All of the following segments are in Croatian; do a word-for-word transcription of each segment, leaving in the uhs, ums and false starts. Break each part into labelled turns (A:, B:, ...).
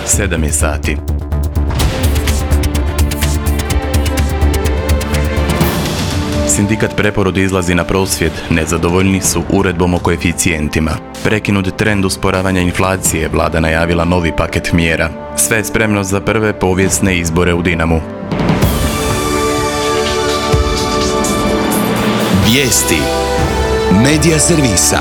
A: sedam je sati. Sindikat Preporod izlazi na prosvjed, nezadovoljni su uredbom o koeficijentima. Prekinut trend usporavanja inflacije, vlada najavila novi paket mjera. Sve je spremno za prve povijesne izbore u Dinamu.
B: Vijesti Medija servisa.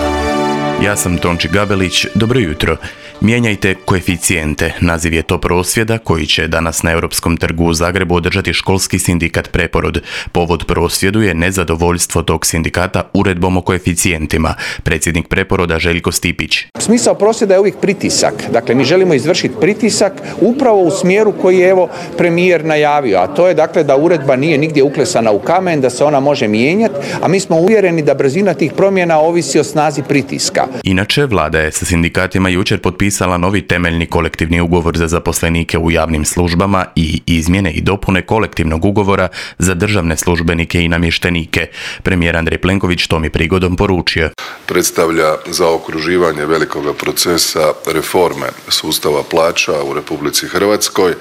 A: Ja sam Tonči Gabelić, dobro jutro. Mijenjajte koeficijente, naziv je to prosvjeda koji će danas na Europskom trgu u Zagrebu održati školski sindikat Preporod. Povod prosvjedu je nezadovoljstvo tog sindikata uredbom o koeficijentima. Predsjednik Preporoda Željko Stipić.
C: Smisao prosvjeda je uvijek pritisak. Dakle, mi želimo izvršiti pritisak upravo u smjeru koji je evo premijer najavio, a to je dakle da uredba nije nigdje uklesana u kamen, da se ona može mijenjati, a mi smo uvjereni da brzina tih promjena ovisi o snazi pritiska.
A: Inače, vlada je sa sindikatima jučer potpisala novi temeljni kolektivni ugovor za zaposlenike u javnim službama i izmjene i dopune kolektivnog ugovora za državne službenike i namještenike. Premijer Andrej Plenković to mi prigodom poručio.
D: Predstavlja zaokruživanje velikoga procesa reforme sustava plaća u Republici Hrvatskoj.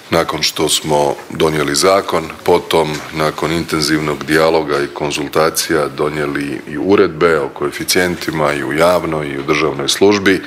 D: Nakon što smo donijeli zakon, potom nakon intenzivnog dijaloga i konzultacija donijeli i uredbe o koeficijentima i u javnoj i u državnoj službi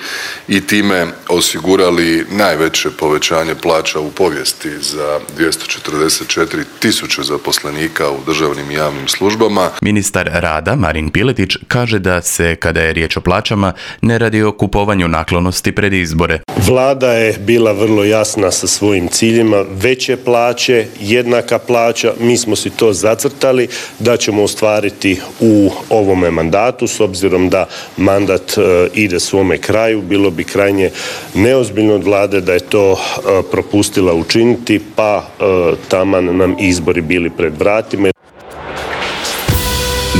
D: i time osigurali najveće povećanje plaća u povijesti za dvjesto četrdeset četiri tisuće zaposlenika u državnim i javnim službama.
A: Ministar rada Marin Piletić kaže da se, kada je riječ o plaćama, ne radi o kupovanju naklonosti pred izbore.
E: Vlada je bila vrlo jasna sa svojim ciljima, veće plaće, jednaka plaća, mi smo si to zacrtali da ćemo ostvariti u ovome mandatu, s obzirom da mandat e, ide svome kraju, bilo bi krajnje neozbiljno od vlade da je to e, propustila učiniti, pa e, taman nam izbori bili pred vratima.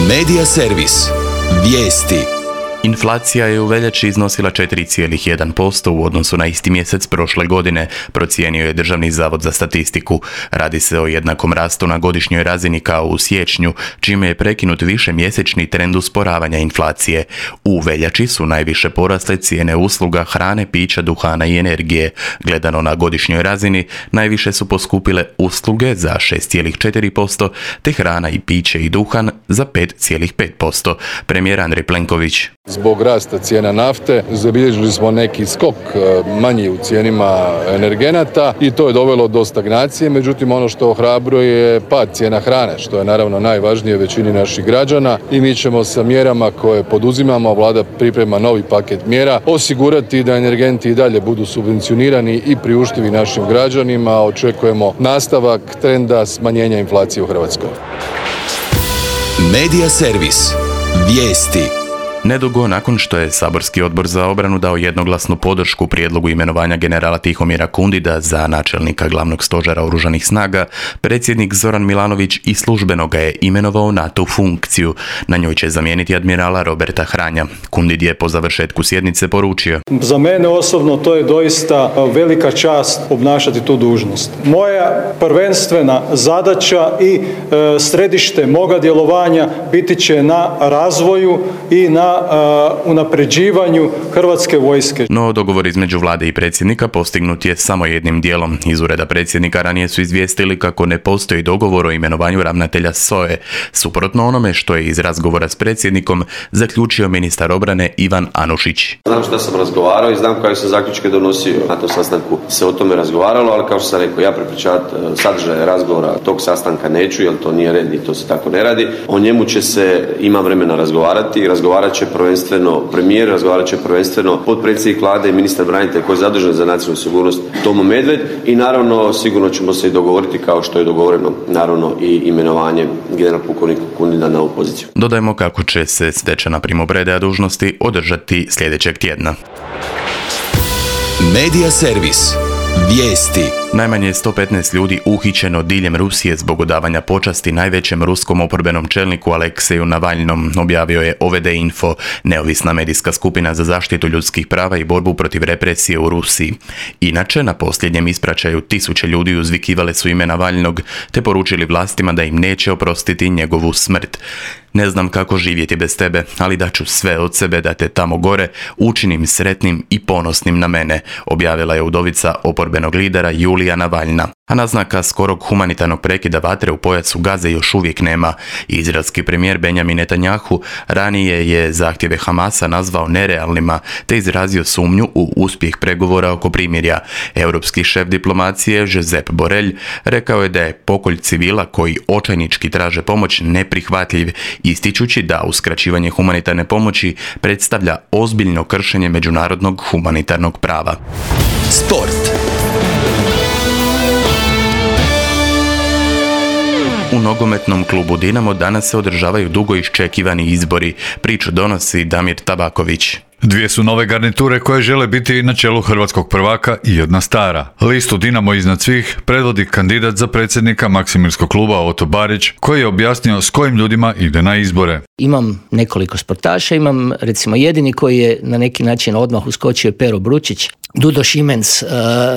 B: Medija servis. Vijesti.
A: Inflacija je u veljači iznosila četiri zarez jedan posto u odnosu na isti mjesec prošle godine, procijenio je Državni zavod za statistiku. Radi se o jednakom rastu na godišnjoj razini kao u siječnju, čime je prekinut višemjesečni trend usporavanja inflacije. U veljači su najviše porasle cijene usluga, hrane, pića, duhana i energije. Gledano na godišnjoj razini, najviše su poskupile usluge za šest zarez četiri posto, te hrana i piće i duhan za pet zarez pet posto. Premijer Andrej Plenković.
F: Zbog rasta cijena nafte zabilježili smo neki skok manji u cijenima energenata i to je dovelo do stagnacije, međutim ono što ohrabruje je pad cijena hrane, što je naravno najvažnije većini naših građana i mi ćemo sa mjerama koje poduzimamo, vlada priprema novi paket mjera, osigurati da energenti i dalje budu subvencionirani i priuštivi našim građanima. Očekujemo nastavak trenda smanjenja inflacije u Hrvatskoj.
B: Medija servis. Vijesti.
A: Nedugo nakon što je Saborski odbor za obranu dao jednoglasnu podršku prijedlogu imenovanja generala Tihomira Kundida za načelnika glavnog stožera oružanih snaga, predsjednik Zoran Milanović i službeno ga je imenovao na tu funkciju. Na njoj će zamijeniti admirala Roberta Hranja. Kundid je po završetku sjednice poručio.
G: Za mene osobno to je doista velika čast obnašati tu dužnost. Moja prvenstvena zadaća i e, središte moga djelovanja biti će na razvoju i na unapređivanju Hrvatske vojske.
A: No, dogovor između vlade i predsjednika postignut je samo jednim dijelom. Iz ureda predsjednika ranije su izvijestili kako ne postoji dogovor o imenovanju ravnatelja S O E, suprotno onome što je iz razgovora s predsjednikom zaključio ministar obrane Ivan Anušić.
H: Znam što sam razgovarao i znam koje sam zaključke donosio. Na tom sastanku se o tome razgovaralo, ali kao što sam rekao, ja prepričavati sadržaje razgovora tog sastanka neću, jer to nije red i to se tako ne radi. O njemu će se, ima vremena razgovarati i razgovarat će prvenstveno premijer, razgovarat će prvenstveno potpredsjednik vlade i ministar branitelja koji je zadužen za nacionalnu sigurnost Tomo Medved i naravno sigurno ćemo se i dogovoriti kao što je dogovoreno naravno i imenovanje general pukovnika Kundida na ovu poziciju.
A: Dodajmo kako će se stečena primopredaja dužnosti održati sljedećeg tjedna.
B: Medija servis. Vijesti.
A: Najmanje sto petnaest ljudi uhićeno diljem Rusije zbog odavanja počasti najvećem ruskom oporbenom čelniku Alekseju Navalnom, objavio je O V D Info, neovisna medijska skupina za zaštitu ljudskih prava i borbu protiv represije u Rusiji. Inače, na posljednjem ispraćaju tisuće ljudi uzvikivale su ime Navalnog te poručili vlastima da im neće oprostiti njegovu smrt. Ne znam kako živjeti bez tebe, ali daću sve od sebe da te tamo gore učinim sretnim i ponosnim na mene, objavila je udovica oporbenog lidera Julija Navalna. A naznaka skorog humanitarnog prekida vatre u pojasu Gaze još uvijek nema. Izraelski premijer Benjamin Netanjahu ranije je zahtjeve Hamasa nazvao nerealnima te izrazio sumnju u uspjeh pregovora oko primirja. Europski šef diplomacije Josep Borrell rekao je da je pokolj civila koji očajnički traže pomoć neprihvatljiv, ističući da uskraćivanje humanitarne pomoći predstavlja ozbiljno kršenje međunarodnog humanitarnog prava.
B: Sport.
A: U nogometnom klubu Dinamo danas se održavaju dugo iščekivani izbori. Priču donosi Damir Tabaković.
I: Dvije su nove garniture koje žele biti na čelu hrvatskog prvaka i jedna stara. Listu Dinamo iznad svih predvodi kandidat za predsjednika Maksimirskog kluba Oto Barić, koji je objasnio s kojim ljudima ide na izbore.
J: Imam nekoliko sportaša, imam recimo jedini koji je na neki način odmah uskočio Pero Bručić, Dudo Šimenc, uh,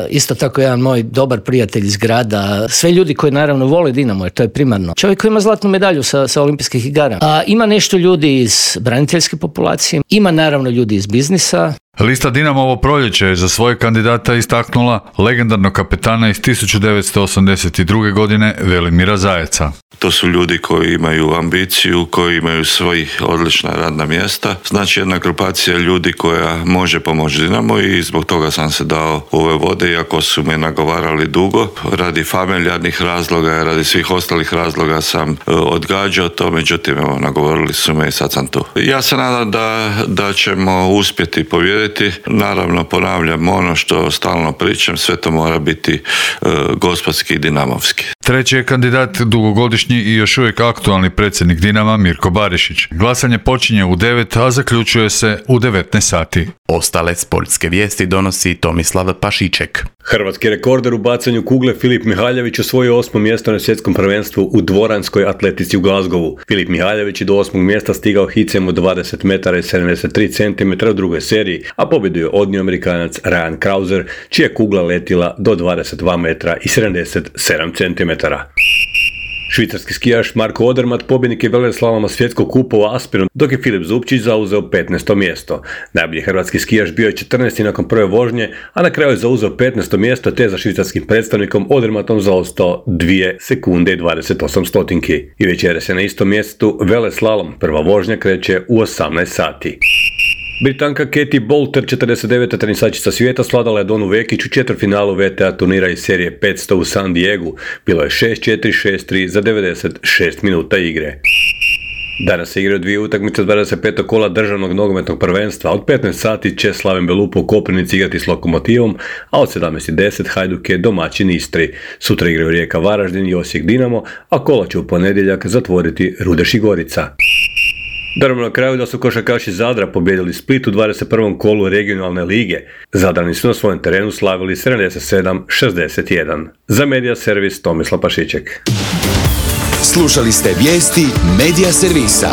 J: isto tako jedan moj dobar prijatelj iz grada, sve ljudi koji naravno vole Dinamo jer to je primarno. Čovjek koji ima zlatnu medalju sa, sa olimpijskih igara. A ima nešto ljudi iz braniteljske populacije, ima naravno ljudi iz biznisa.
I: Lista Dinamo ovo proljeće je za svoje kandidata istaknula legendarnog kapetana iz tisuću devetsto osamdeset druge. godine Velimira Zajeca.
K: To su ljudi koji imaju ambiciju, koji imaju svojih odlična radna mjesta. Znači jedna grupacija ljudi koja može pomoći Dinamo i zbog toga sam se dao u ove vode, iako su me nagovarali dugo. Radi familijarnih razloga, radi svih ostalih razloga sam odgađao to, međutim evo, nagovorili su me i sad sam tu. Ja se nadam da, da ćemo uspjeti pobijediti. Naravno, ponavljam ono što stalno pričam, sve to mora biti e, gospodski i dinamovski.
I: Treći je kandidat dugogodišnji i još uvijek aktualni predsjednik Dinama Mirko Barišić. Glasanje počinje u devet, a zaključuje se u devetnaest sati.
A: Ostale sportske vijesti donosi Tomislav Pašiček.
L: Hrvatski rekorder u bacanju kugle Filip Mihaljević osvojio osmo mjesto na svjetskom prvenstvu u dvoranskoj atletici u Glasgowu. Filip Mihaljević je do osmog mjesta stigao hicem od dvadeset metara i sedamdeset tri centimetra u drugoj seriji, a pobjedu je odnio Amerikanac Ryan Krauser, čija je kugla letila do dvadeset dva metra i sedamdeset sedam centimetara. Švicarski skijaš Marko Odermatt pobjednik je veleslaloma svjetskog kupa u Aspenu, dok je Filip Zupčić zauzeo petnaesto mjesto. Najbolji hrvatski skijaš bio je četrnaesti nakon prve vožnje, a na kraju je zauzeo petnaesto mjesto te za švicarskim predstavnikom Odermattom zaostao dvije sekunde i dvadeset osam stotinki. I večeras je na istom mjestu veleslalom, prva vožnja kreće u osamnaest sati. Britanka Katie Boulter, četrdeset deveta tenisačica svijeta, svladala je Donu Vekić u četvrtfinalu V T A turnira iz serije petsto u San Diegu. Bilo je šest četiri, šest tri za devedeset šest minuta igre. Danas se igraju dvije utakmice dvadeset petog kola državnog nogometnog prvenstva. Od petnaest sati će Slaven Belupo u Koprivnici igrati s Lokomotivom, a od sedamnaest i deset Hajduk je domaćin Istri. Sutra igraju Rijeka Varaždin i Osijek Dinamo, a kola će u ponedjeljak zatvoriti Rudeš i Gorica. Darmo na kraju da su košarkaši Zadra pobijedili Split u dvadeset prvom kolu regionalne lige. Zadrani su na svojem terenu slavili sedamdeset sedam šezdeset jedan. Za Medija Servis Tomislav Pašiček.
B: Slušali ste vijesti Medija Servisa.